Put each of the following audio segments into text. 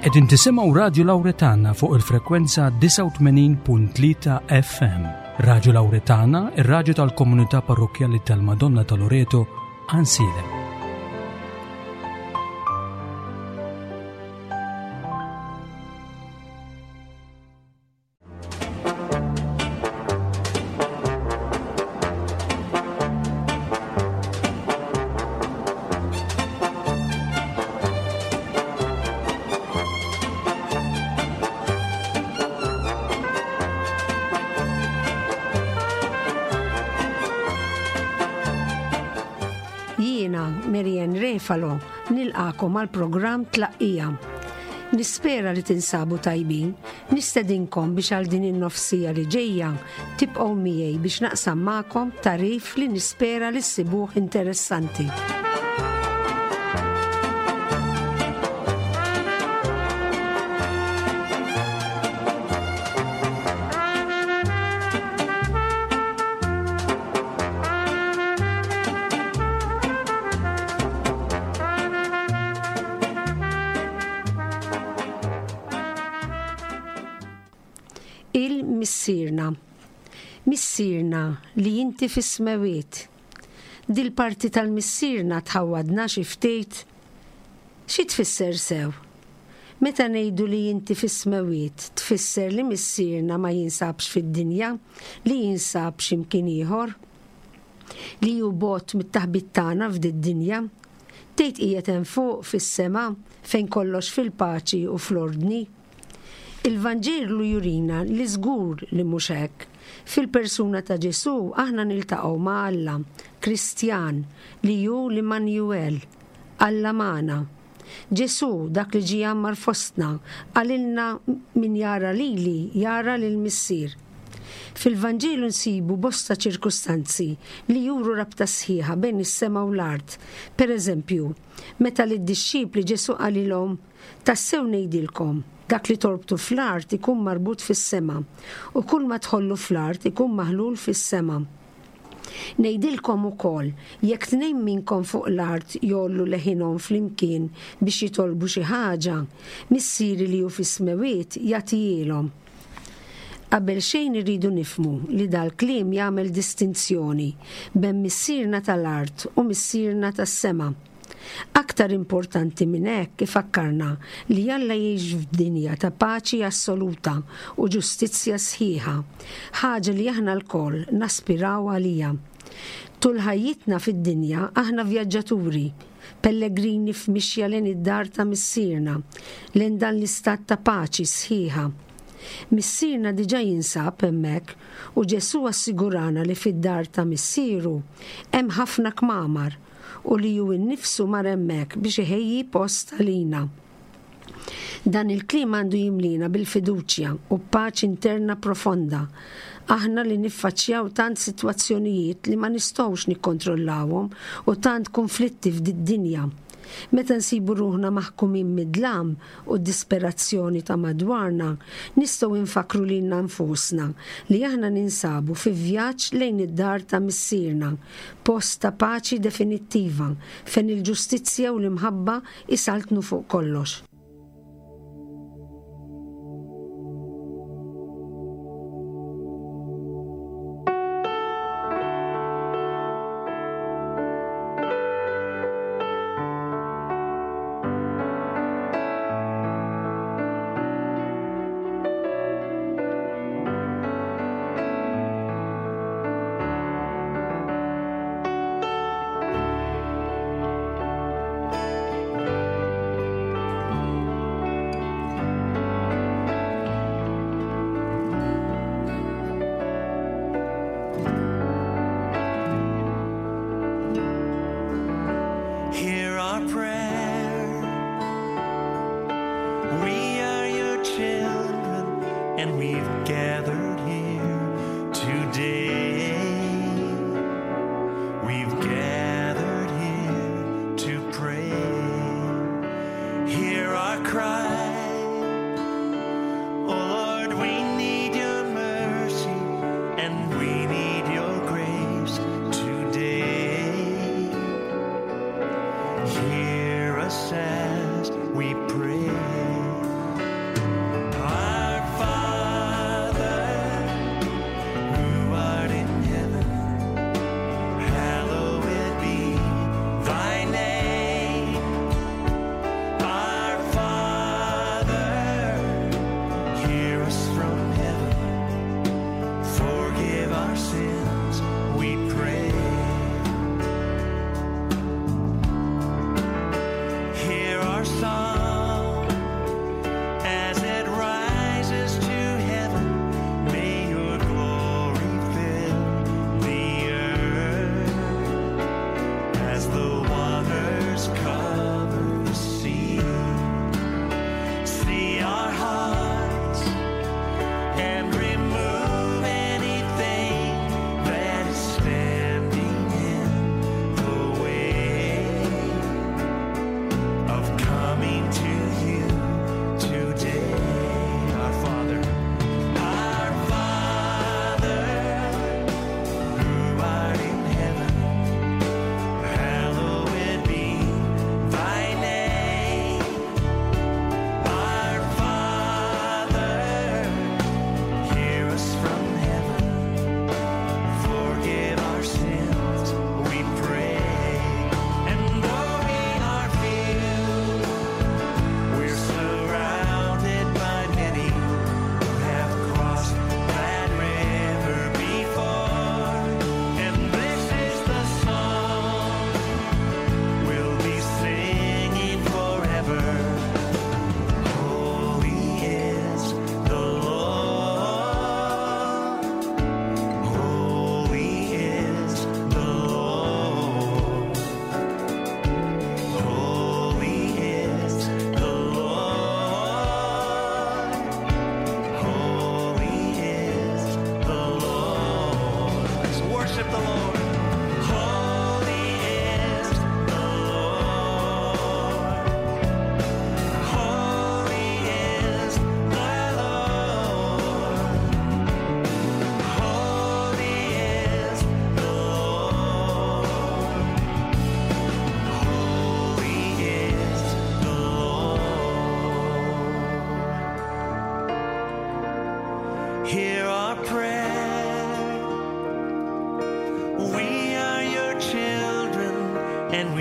Qegħdin tisimgħu Radju Lawretana fuq il-frekwenza 89.3 FM. Radju Lawretana, ir-radju tal-Komunità Parrokkjali tal-Madonna ta' Loreto, Għansielem. Jiena, Marianne Refalo, nilqakom għal programm Tlaqqija. Nispera li tinsabu tajbin, nistedinkom biex għal din in-nofsija li ġejja tibqgħu miegħi biex naqsam magħkom tagħrif li nispera li ssibuh interessanti. Il-Missierna. Missierna li inti fis-smewiet. Dil-parti tal-Missierna tħawwadna xi ftit? Xi tfisser sew? Meta ngħidu li inti fis-smewiet tfisser li Missierna ma jinsabx fid-dinja, li jinsab xi mkien ieħor? Li hu bogħod mit-taħbit tagħna f'did-dinja? Tgħid qiegħed hemm fuq fis-sema fejn kollox fil-paċi u fl-ordni? Il-Vanġelu jurina li żgur li mhux hekk. Fil-persuna ta' Ġesù aħna niltaqgħu ma' Alla, Kristjan, li hu l-Immanuel, Alla magħna. Ġesù, dak li ġie jgħammar fostna, qalilna min jara lili jara lill-Missier. Fil-Vanġelu nsibu bosta ċirkustanzi li juru rabta sħiħa bejn is-sema u l-art. Per eżempju, meta lid-dixxipli Ġesù qalilhom, Tassew ngħidilkom, dak li torbtu fl-art ikun marbut fis-sema, u kulma tħollu fl-art ikun maħlul fis-sema. Ngħidilkom ukoll, jekk tnejn minnkom fuq l-art jgħollu leħinhom flimkien biex jitolbu xi ħaġa, Missieri li hu fis-smewwiet jagħtihielhom. Qabel xejn irridu nifhmu li dal-kliem jagħmel distinzjoni bejn Missierna tal-art u Missierna tas-sema. Aktar importanti minn hekk ifakkarna li Alla jgħix f'dinja ta' paċi assoluta u ġustizzja sħiħa, ħaġa li aħna lkoll naspiraw għaliha. Tul ħajjitna fid-dinja aħna vjaġġaturi, pellegrini f'mixja lejn id-dar ta' Missierna, lejn dan l-istat ta' paċi sħiħa. Missierna diġà jinsab hemmhekk u Ġesù assigurana li fid-dar ta' Missieru hemm ħafna kmamar u li hu nnifsu mar hemmhekk biex iħejji post għalina. Dan il-kliem għandu jimlina bil-fiduċja u b'paċi interna profonda, aħna li niffaċċjaw tant sitwazzjonijiet li ma nistgħux nikkontrollawhom u tant kunflitti f'did-dinja. Meta nsibu ruħna maħkumin mid-dlam u d-disperazzjoni ta' madwarna, nistgħu nfakkru lilna nfusna li aħna ninsabu fi vjaġġ lejn id-dar ta' Missierna, post ta' paċi definittiva fejn il-ġustizzja u l-imħabba jsaltnu fuq kollox. Hear our prayer. We are your children, and we've gathered here today. We've gathered here to pray. Hear our cry. Oh Lord, we need your mercy and we need your grace today. Hear us as we pray.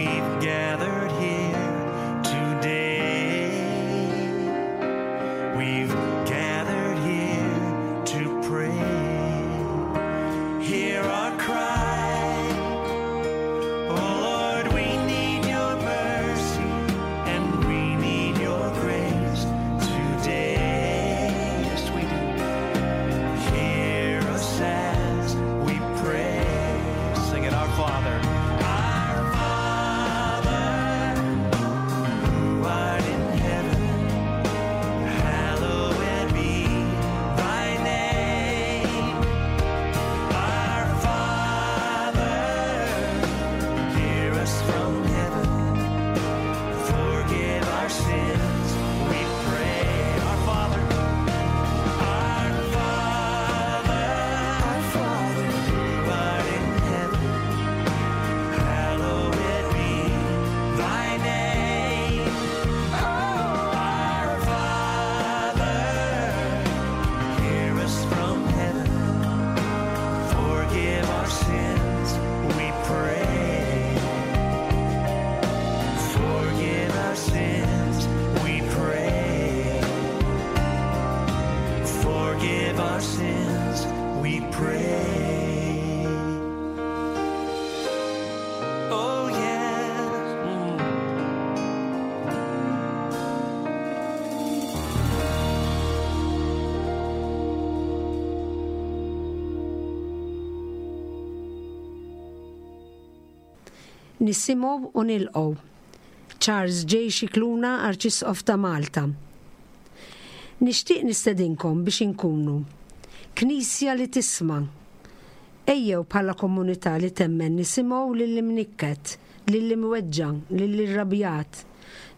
We've gathered here today. We've gathered here to pray. Hear our cry. Oh Lord, we need your mercy and we need your grace today. Yes, we do. Hear us as we pray. Sing it, our Father. Our Father, who art in heaven, hallowed be thy name. Our Father, hear us from heaven. Forgive our sins, we pray. Our Father, our Father, our Father, who art in heaven, hallowed be thy name. Our Father, hear us from heaven. Forgive our sins, we pray. Forgive our sins, we pray. Forgive our sins, we pray. Oh, yes. Mm. Nisimgħu u nilqgħu. Charles J. Scicluna, Arċisqof ta' Malta. Nixtieq nistedinkom biex inkunu Knisja li tisma'. Ejjew bħala komunità li temmen nisimgħu lill-imnikket, lill-imweġġa', lill-irrabjat.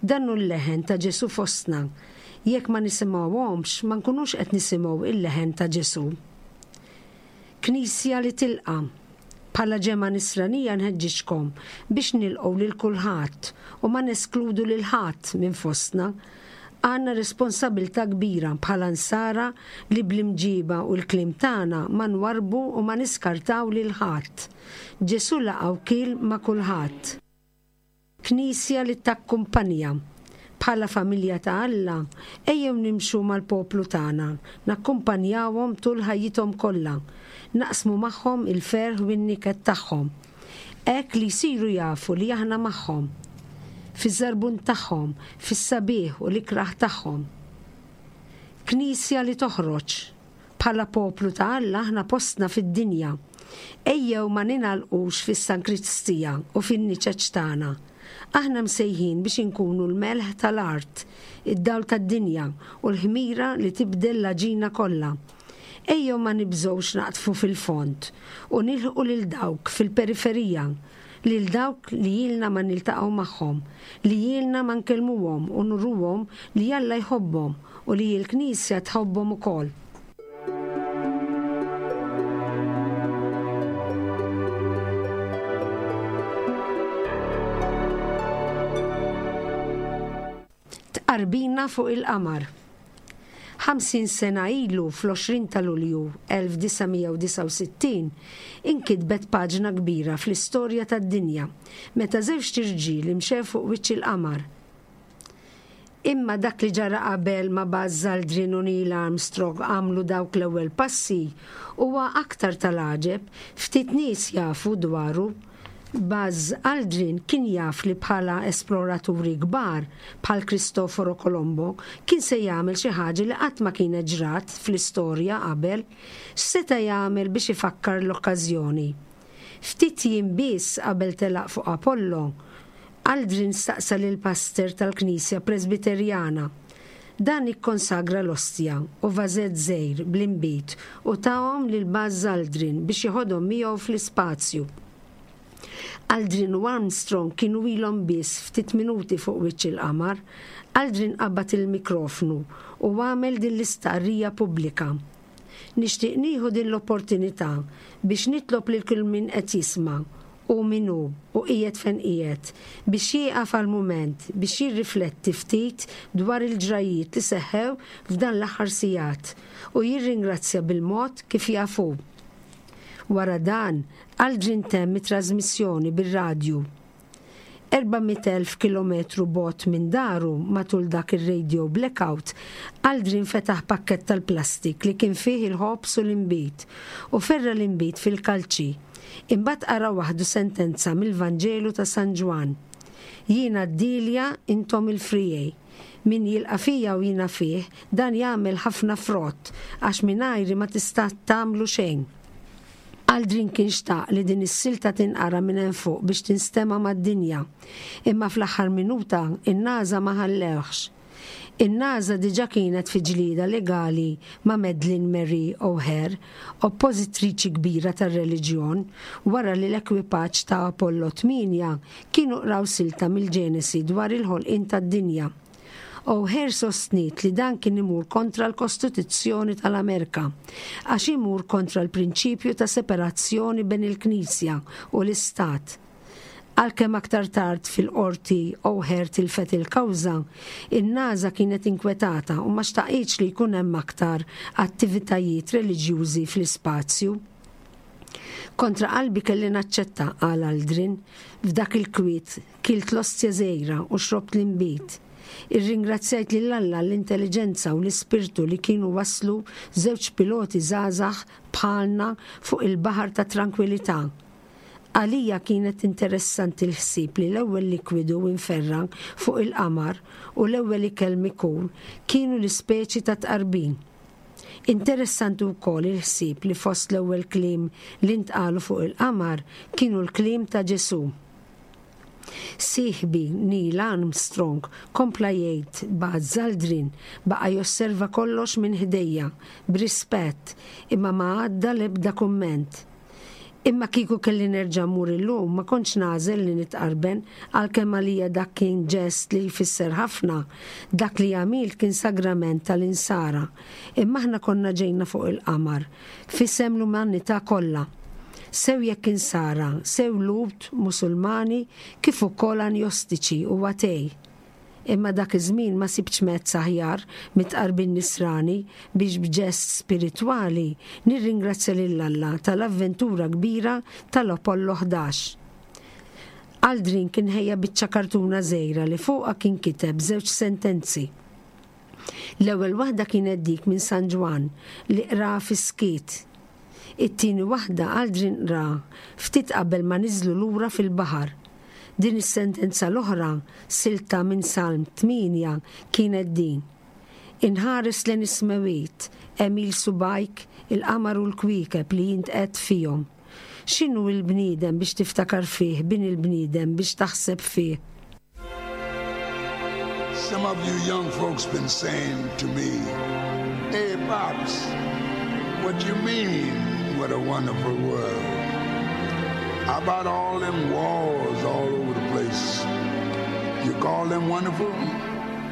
Dan hu l-leħen ta' Ġesù fostna. Jekk ma nisimgħuhomx, ma nkunux qed nisimgħu il-leħen ta' Ġesù. Knisja li tilqa'. Bħala ġemgħa Nisranija nħeġġiġkom biex nilqgħu lil kulħadd u ma neskludu lil ħadd minn fostna. Għandna responsabilità kbira bħala Nsara li bl-imġiba u l-kliem tagħna ma nwarrbu u ma niskartaw lil ħadd. Ġesù laqa' u kiel ma' kulħadd. Knisja li takkumpanja. Bħala familja ta' Alla, ejjew nimxu mal-poplu tagħna, nakkumpanjawhom tul ħajjithom kollha, naqsmu magħhom il-ferħ u n-niket tagħhom. Hekk li jsiru jafu li aħna magħhom. Fiż-żarbun tagħhom, fis-sabiħ u l-ikrah tagħhom. Knisja li toħroġ. Bħala poplu ta' Alla aħna postna fid-dinja. Ejjew ma ningħalqux fis-sankristija u fin-niċeċ tagħna. Aħna msejħin biex inkunu l-melħ tal-art, id-dawl tad-dinja u l-ħmira li tibdel l-għaġina kollha. Ejjew ma nibżgħux naqdfu fil-fond u nilħqu lil dawk fil-periferija, lil dawk li ilna ma niltaqgħu magħhom, li ilna ma nkellmuhom u nuruhom li Alla jħobbhom u li l-Knisja tħobbhom ukoll. Tqarbina fuq il-qamar. 50 sena ilu fl-20 ta' Lulju 1969 inkitbet paġna kbira fl-istorja tad-dinja meta żewġt irġiel imxew fuq wiċċ il-qamar. Imma dak li ġara qabel ma Buzz Aldrin u Neil Armstrong għamlu dawk l-ewwel passi huwa aktar tal-għaġeb, ftit nies jafu dwaru. Buzz Aldrin kien jaf li bħala esploraturi kbar, bħal Cristoforo Colombo, kien se jagħmel xi ħaġa li qatt ma kienet ġrat fl-istorja qabel. X'seta' jagħmel biex ifakkar l-okkażjoni? Ftit jiem biss qabel telaq fuq Apollo, Aldrin staqsa lill-pastor tal-knisja Presbiterjana. Dan ikkonsagra l-ostja u vażett żgħir bl-inbid u tahom lil Buzz Aldrin biex jeħodhom miegħu fl-ispazju. Aldrin u Armstrong kienu ilhom biss ftit minuti fuq wiċċ il-qamar. Aldrin qabad il-mikrofnu u għamel din l-istqarrija pubblika. Nixtieq nieħu din l-opportunità biex nitlob lil kull min qed jisma', hu min hu u qiegħed fejn qiegħed, biex jieqaf għal mument biex jirrifletti ftit dwar il-ġrajjiet li seħħew f'dan l-aħħar sigħat u jirringrazzja bil-mod kif jaf hu. Wara dan, Aldrin temm it-trażmissjoni bir-radju. 400,000 kilometru bogħod minn daru matul dak ir-radio blackout, Aldrin fetaħ pakkett tal-plastik li kien fih il-ħobż u l-inbid u ferra' l-inbid fil-kalċi. Imbagħad qara waħdu sentenza mill-Vanġelu ta' San Ġwann, Jiena d-dielja, intom il-friegħi. Min jilqa' fija u jiena fih, dan jagħmel ħafna frott, għax mingħajri ma tista' tagħmlu xejn. Aldrin kien xtaq li din is-silta tinqara minn hemm fuq biex tinstema' mad-dinja. Imma fl-aħħar minuta, in-NASA ma ħallewhx. In-NASA diġà kienet fi ġlieda legali ma' Madeleine Marie O'Hare, oppożitriċi kbira tar-reliġjon, wara li l-ekwipaġġ ta' Apollo 8 kienu qraw silta mill-Ġenesi dwar il-ħolqien tad-dinja. O'Hare sostniet li dan kien imur kontra l-Kostituzzjoni tal-Amerka, għax imur kontra l-prinċipju ta' separazzjoni ben il-Knisja u l-Istat. Għalkemm aktar tard fil-qorti O'Hare tilfet il-kawża, in-NASA kienet inkwetata u ma xtaqitx li jkun hemm aktar attivitajiet reliġjużi fl-ispazju. Kontra qalbi kelli naċċetta, qal Aldrin. F'dak il-kwiet, kilt l-ostja żgħira u xrobt l-inbid. Irringrazzjajt lil Alla għall-intelliġenza u l-ispirtu li kienu wasslu żewġ piloti żgħażagħ bħalna fuq il-baħar tat-trankwilità. Għalija kienet interessanti l-ħsieb li l-ewwel likwidu imferra' fuq il-qamar u l-ewwel ikel mikul kienu l-ispeċi tat-tqarbin. Interessanti wkoll il-ħsieb li fost l-ewwel kliem li ntqalu fuq il-qamar kienu l-kliem ta' Ġesù. Sieħbi Neil Armstrong kompla jgħid Buzz Aldrin baqa' josserva kollox minn ħdejja, b'rispett, imma ma għadda l-ebda kumment. Imma kieku kelli nerġa' mmur illum ma kontx nagħżel li nitqarben għalkemm għalija dak kien ġest li jfisser ħafna. Dak li għamilt kien sagrament tal-Insara. Imma aħna konna ġejna fuq il-qamar f'isem l-umanità kollha. Sew jekk Insara, sew Lhud, Musulmani, kif ukoll anjostiċi u atej. Imma dak iż-żmien ma sibtx mezz aħjar mit-tqarbin Nisrani biex b'ġest spiritwali nirringrazzja lil Alla tal-avventura kbira tal-Apollo 11. Aldrin kien ħejja biċċa kartuna żgħira li fuqha kien kiteb żewġ sentenzi. L-ewwel waħda kienet dik minn San Ġwann li qraha fis-skiet. It-tieni waħda Aldrin qraha ftit qabel ma niżlu lura fil-baħar. Din is-sentenza l-oħra, silta minn Salm 8, kienet din, Inħares lejn is-smewwiet, għemil subgħajk, il-qamar u l-kwiekeb li int qegħedt fihom. X'inhu l-bniedem biex tiftakar fih, bin il-bniedem biex taħseb fih? Some of you young folks been saying to me, Hey, Pops, what you mean, what a wonderful world? How about all them wars all over the place? You call them wonderful?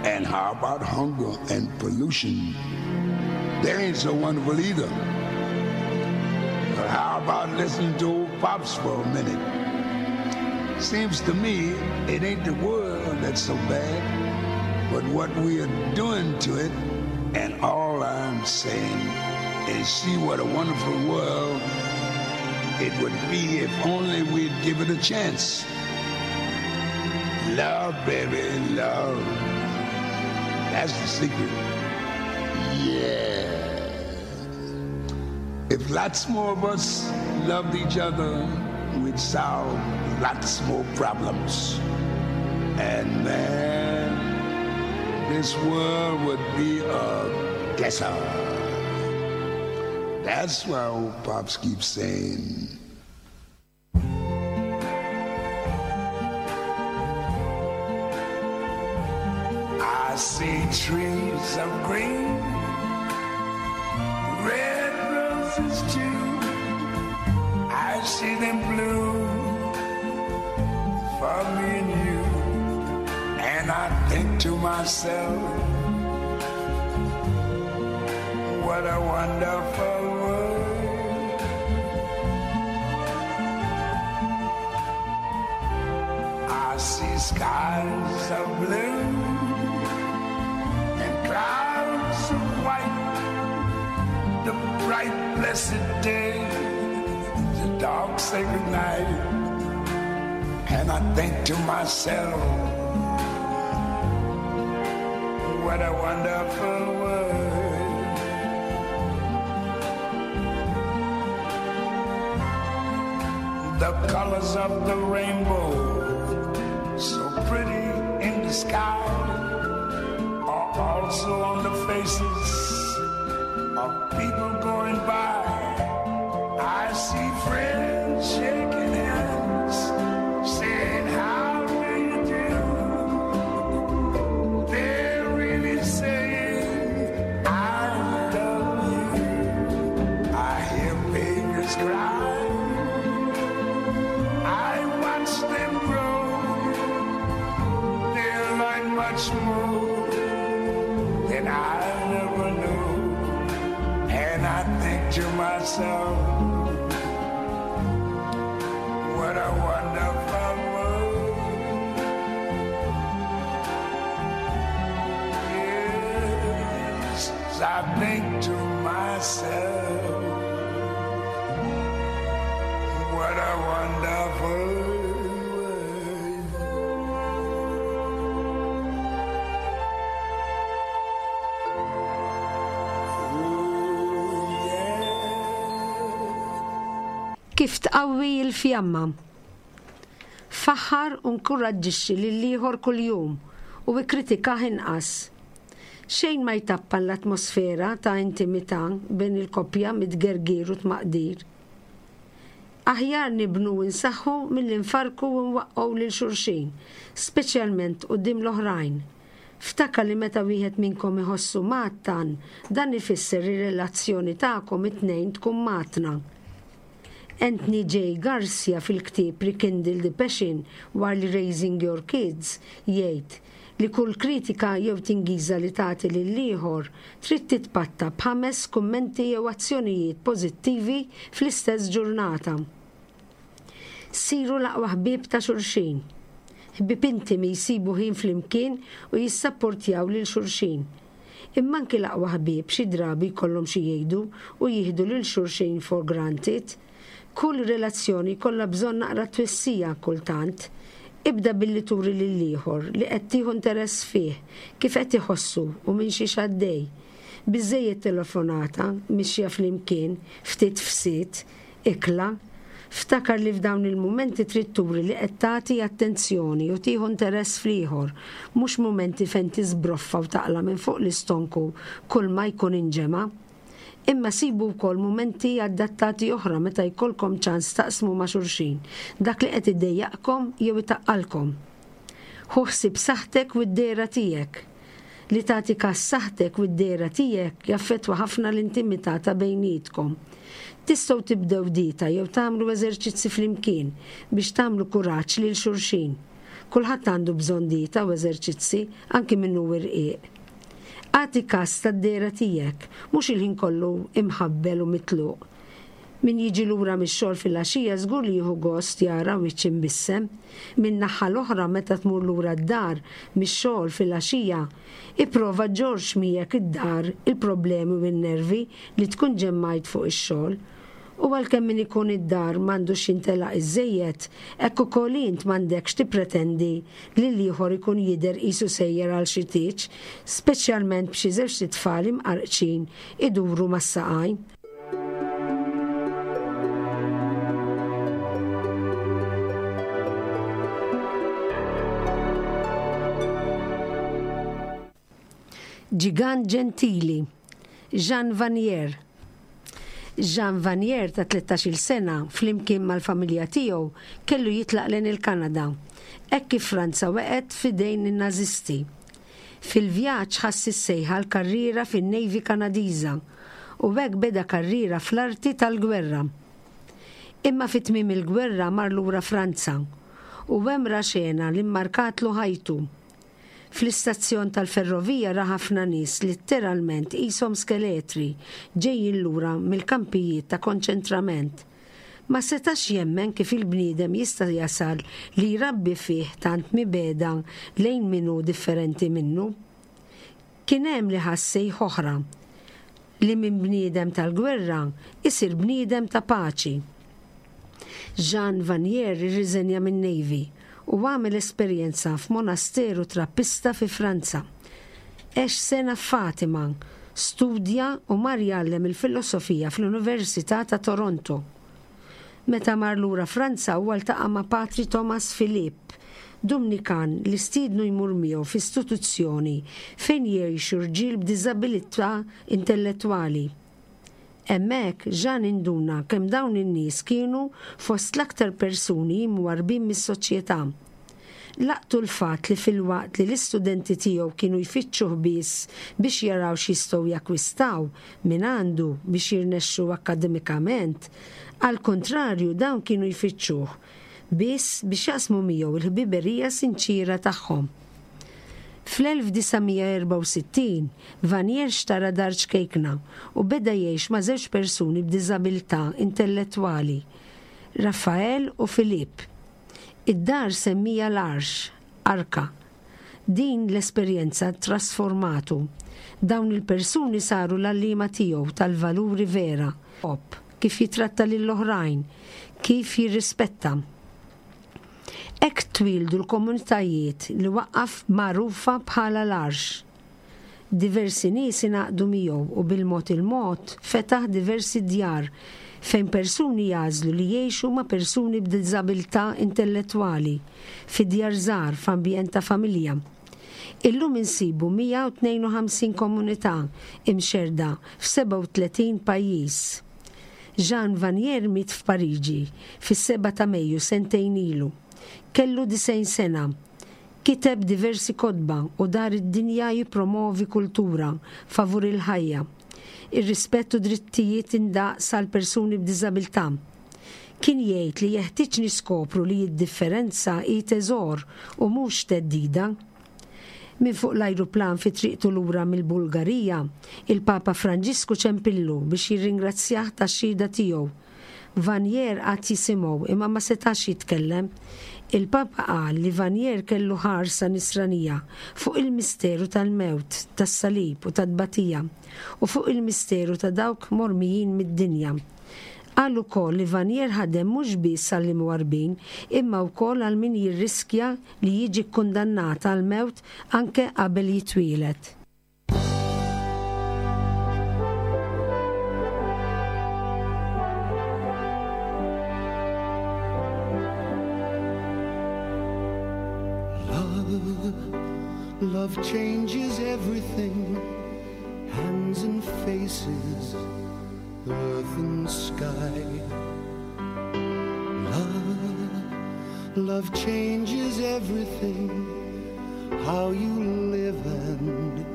And how about hunger and pollution? They ain't so wonderful either. But how about listening to old Pops for a minute? Seems to me it ain't the world that's so bad, but what we are doing to it. And all I'm saying is see what a wonderful world it would be if only we'd give it a chance. Love, baby, love. That's the secret. Yeah. If lots more of us loved each other, we'd solve lots more problems. And man, this world would be a guesser. That's why old Pops keeps saying, I see trees of green, red roses too. I see them blue for me and you. And I think to myself, what a wonderful world. I see skies of blue and clouds of white, the bright blessed day, the dark sacred night. And I think to myself, what a wonderful world. The colors of the rainbow, so pretty in the sky, are also on the faces of people going by. I see friends shaking hands, saying, How do you do? They're really saying, I love you. I hear babies cry. I watch them grow. They learn much more than I never knew. And I think to myself, what a wonderful world. Yes, I think to myself, what a wonderful world. Ooh, yeah. Kif tqawwi l-fjamma? Faħħar u nkuraġġixxi lill-ieħor kuljum u ikkritikah inqas. Xejn ma jtappan l-atmosfera ta' intimità bejn il-koppja mit-tgergir u tmaqdir. Aħjar nibnu u nsaħħu milli nfarrku u nwaqqgħu lil xulxin, speċjalment quddiem l-oħrajn. Ftakar li meta wieħed minnkom iħossu mgħattan, dan ifisser li r-relazzjoni tagħkom it-tnejn tkun mgħattna. Anthony J. Garcia fil-ktieb Rekindle the Passion While Raising Your Kids jgħid li kull kritika jew tingiża li tagħti lill-ieħor trid titpatta b'ħames kummenti jew azzjonijiet pożittivi fl-istess ġurnata. Siru l-aqwa ħbieb ta' xulxin. Ħbieb intimi jsibu ħin flimkien u jissapportjaw lil xulxin. Imma anki l-aqwa ħbieb xi drabi jkollhom xi jgħidu u jieħdu lil xulxin for granted. Kull relazzjoni jkollha bżonn naqra twissija kultant. Ibda billi turi lill-ieħor li qed tieħu interess fih, kif qed iħossu u minn xiex għaddej. Biżżejjed telefonata, mixja flimkien, ftit fsied, ikla. Ftakar li f'dawn il-mumenti trid turi li qed tagħti attenzjoni u tieħu interess fl-ieħor, mhux mumenti fejn tiżbroffa u taqla' minn fuq l-istonku kulma jkun inġema'. Imma sibu wkoll mumenti adattati oħra meta jkollkom ċans taqsmu ma' xulxin dak li qed idejjaqkom jew itaqqalkom. Ħu ħsieb saħħtek u d-dehra tiegħek. Li tagħti kas saħħtek u d-dehra tiegħek jaffettwa ħafna l-intimità ta' bejnietkom. Tistgħu tibdew dieta jew tagħmlu eżerċizzi flimkien biex tagħmlu kuraġġ lil xulxin. Kulħadd għandu bżonn dieta u eżerċizzi, anki min hu irqiq. Agħti kas tad-dehra tiegħek, mhux il-ħin kollu imħabbel u mitluq. Min jiġi lura mix-xogħol filgħaxija żgur li jieħu gost jara wiċċ imbissem. Min-naħa l-oħra meta tmur lura d-dar mix-xogħol filgħaxija, ipprova ġġorrx miegħek id-dar il-problemi u n-nervi li tkun ġemmajt fuq ix-xogħol. U għalkemm min ikun id-dar m'għandux jintelaq iżżejjed, hekk ukoll int m'għandekx tippretendi li l-ieħor ikun jidher qisu sejjer għal xi tieġ, speċjalment b'xi żewġt itfal imqarqċin iduru mas-saqajn. Ġigant ġentili, Jean Vanier. Jean Vanier ta' tlettax-il sena, flimkien mal-familja tiegħu, kellu jitlaq lejn il-Kanada, hekk kif Franza weqgħet f'idejn in-Nażisti. Fil-vjaġġ ħass is-sejħa għal karriera fin-Navy Kanadiża u hekk beda karriera fl-arti tal-gwerra. Imma fi tmiem il-gwerra mar lura Franza u hemm ra xena li mmarkatlu ħajtu. Fl-istazzjon tal-ferrovija ra ħafna nies litteralment qishom skeletri ġejjin lura mill-kampijiet ta' konċentrament. Ma setax jemmen kif il-bniedem jista' jasal li jrabbi fih tant mibegħda lejn min hu differenti minnu. Kien hemm li ħass sejħa oħra, li minn bniedem tal-gwerra isir bniedem ta' paċi. Jean Vanier irriżenja min-Navy. u għamel esperjenza f'monasteru Trappista fi Franza. Għex sena f'Fatima, studja u mar jgħallem il-filosofija fl-Università ta' Toronto. Meta mar lura Franza huwa ltaqa' ma' Patri Thomas Philippe, Dumnikan li stiednu jmur miegħu f'istituzzjoni fejn jgħixu rġiel b'diżabilità intellettwali. Hemmhekk, Jean induna kemm dawn in-nies kienu fost l-aktar persuni imwarrbin mis-soċjetà. Laqtu l-fatt li filwaqt li l-istudenti tiegħu kienu jfittxuh biss biex jaraw x'jistgħu jakkwistaw mingħandu biex jirnexxu akkademikament, għall-kuntrarju dawn kienu jfittxuh biss biex jaqsmu miegħu l-ħbiberija sinċiera tagħhom. Fl-1964, Vanier xtara dar ċkejkna u beda jgħix ma' żewġ persuni b'diżabilità intellettwali, Raphaël u Philippe. Id-dar semmija l-Arx, Arka. Din l-esperjenza ttrasformatu. Dawn il-persuni saru l-għalliema tiegħu tal-valuri vera, ħobb, kif jitratta lill-oħrajn, kif jirrispetta. Hekk twieldu l-komunitajiet li waqqaf magħrufa bħala l-Għarx. Diversi nies ingħaqdu miegħu u bil-mod il-mod fetaħ diversi djar fejn persuni jagħżlu li jgħixu ma' persuni b'diżabilità intellettwali, fi djar żgħar f'ambjent ta' familja. Illum insibu 152 komunità imxerrda f'37 pajjiż. Jean Vanier miet f'Pariġi fis-sebgħa ta' Mejju sentejn ilu. Kellu 90 sena. Kiteb diversi kotba u dar id-dinja jippromovi kultura favur il-ħajja, ir-rispett u drittijiet indaqs għal persuni b'diżabilità. Kien jgħid li jeħtieġ niskopru li d-differenza hi teżor u mhux theddida. Minn fuq l-ajruplan fi triqtu lura mill-Bulgarija, il-Papa Franġisku ċempillu biex jirringrazzjah tax-xhieda tiegħu. Vanier qagħad jisimgħu imma ma setax jitkellem. Il-Papa qal li Vanier kellu ħarsa nisranija fuq il-misteru tal-mewt, tas-salib u tat-tbatija u fuq il-misteru ta' dawk mormijin mid-dinja. Qal ukoll li Vanier ħadem mhux biss għall-imwarrbin imma wkoll għal min jirriskja li jiġi kkundannat għall-mewt anke qabel jitwieled. Love, love changes everything, hands and faces, earth and sky. Love, love changes everything, how you live and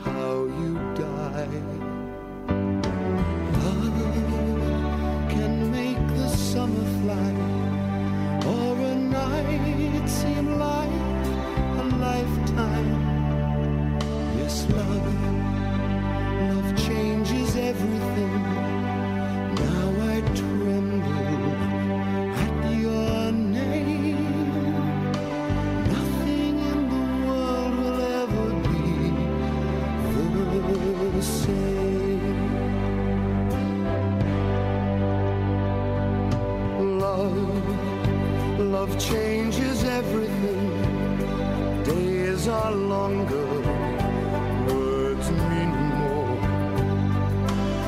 how you die. Love can make the summer fly, or a night seem like a lifetime. Yes, love, love changes everything. Now I tremble at your name. Nothing in the world will ever be the same. Love, love changes everything. Days are longer, words mean more.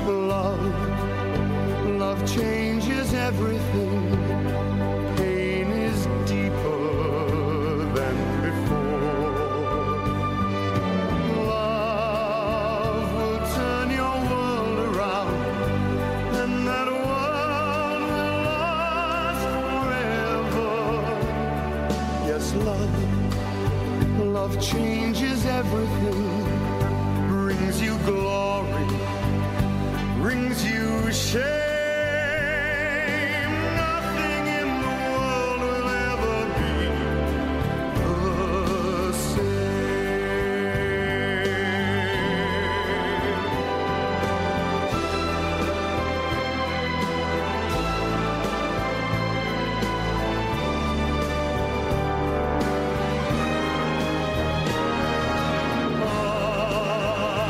Love, love changes everything. Pain is deeper than before. Love will turn your world around, and that world will last forever. Yes, love, love changes everything, brings you glory, brings you shame. Nothing in the world will ever be the same.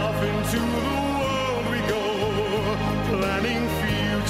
Off into the world we go, planning futures.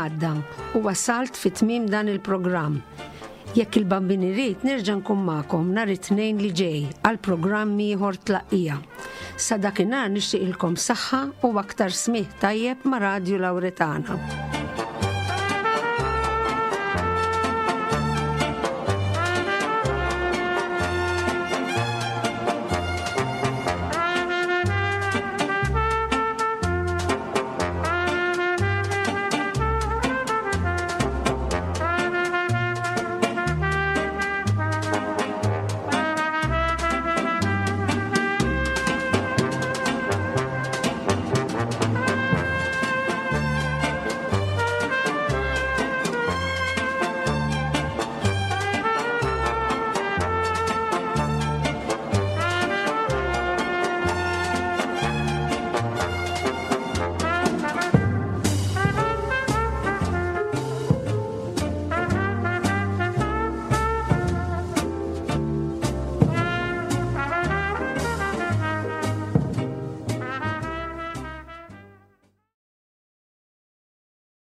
għadda u wasalt fi tmiem dan il-programm. Jekk il-Bambin irid nerġa' nkun magħkom nhar it-Tnejn li ġej għal programm ieħor Tlaqqija. Sa dakinhar nixtieqilkom saħħa u aktar smigħ tajjeb ma' Radju Lawretana.